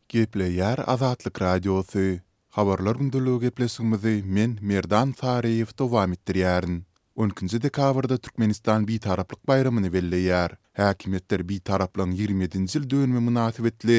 Gepleýär Azatlyk Radiosy, Habarlar gündeligi gepleşigimizi men, Merdan Saryýew dowam etdirýärin. On ikinji dekabrda Türkmenistan Bitaraplyk baýramyny belleýär. Häkimiýetler Bitaraplygyň 27-nji ýyl dönümi mynasybetli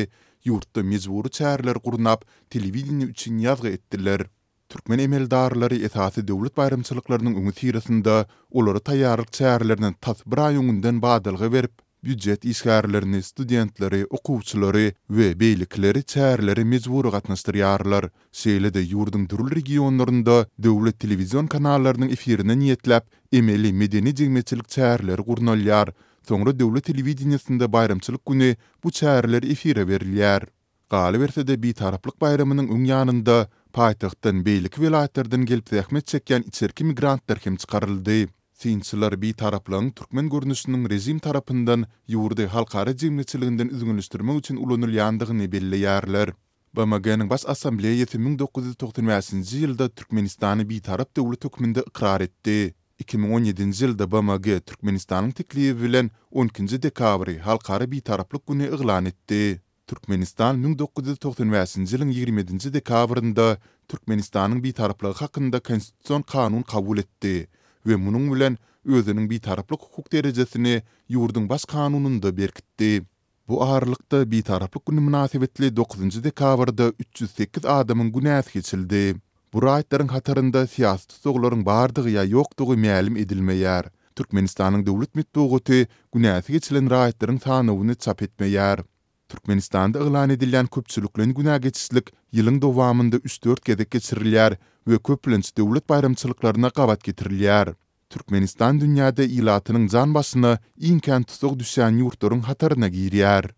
ýurtda mejbury çäreleri gurnap, telewideniýe üçin ýazgy etdiler. Türkmen emeldarlary esasy döwlet baýramçylyklarynyň öňüsyrasynda olara taýýarlyk çärelerine tas bir aý öňünden badalga berip, býujet işgärlerini, studentleri, okuwçylary we beýlekileri çärelere mejbury gatnaşdyrýarlar. Şeýle-de ýurduň dürli regionlarynda döwlet telewizion kanallarynyň efirine niýetläp emeli medeni-jemgyýetçilik çäreleri gurnalýar, soňra döwlet telewideniýesinde baýramçylyk güni bu çäreler efire berilýär. Galyberse-de, Bitaraplyk baýramynyň öň ýanynda paýtagtdan beýleki welaýatlardan gelip zähmet çekýän içerki migrantlar hem çykaryldy. Synçylar Bitaraplygyň türkmen görnüşiniň režim tarapyndan ýurdy halkara jemgyýetçiliginden üzňeleşdirmek üçin ulanylýandygyny belleýärler. BMG-niň Baş Assambleýasy 1995-nji ýylda Türkmenistany Bitarap döwlet hökmünde ykrar etdi. 2017-nji ýylda BMG Türkmenistanyň teklibi bilen on ikinji dekabry Halkara Bitaraplyk güni yglan etdi. Türkmenistan 1995-nji ýylyň 27-nji dekabrynda Türkmenistanyň Bitaraplygy hakynda Konstitusion kanun kabul etdi we munuň bilen özüniň Bitaraplyk hukuk derejesini ýurduň Baş kanunynda berkitdi. Bu aralykda, Bitaraplyk güni mynasybetli dokuzynjy dekabrda 308 adamyň günäsi geçildi. Bu raýatlaryň hatarynda syýasy tussaglaryň bardygy ýa ýokdugy mälim edilmeýär. Türkmenistanyň döwlet metbugaty günäsi geçilen raýatlaryň sanawyny çap etmeýär. Türkmenistanda yglan edilýän köpçülikleýin günä geçişlik ýylyň dowamynda üç-dört gezek geçirilýär we köplenç döwlet baýramçylyklaryna gabat getirilýär. Türkmenistan dünýäde ilatynyň jan başyna iň kän tussag düşýän ýurtlaryň hataryna girýär.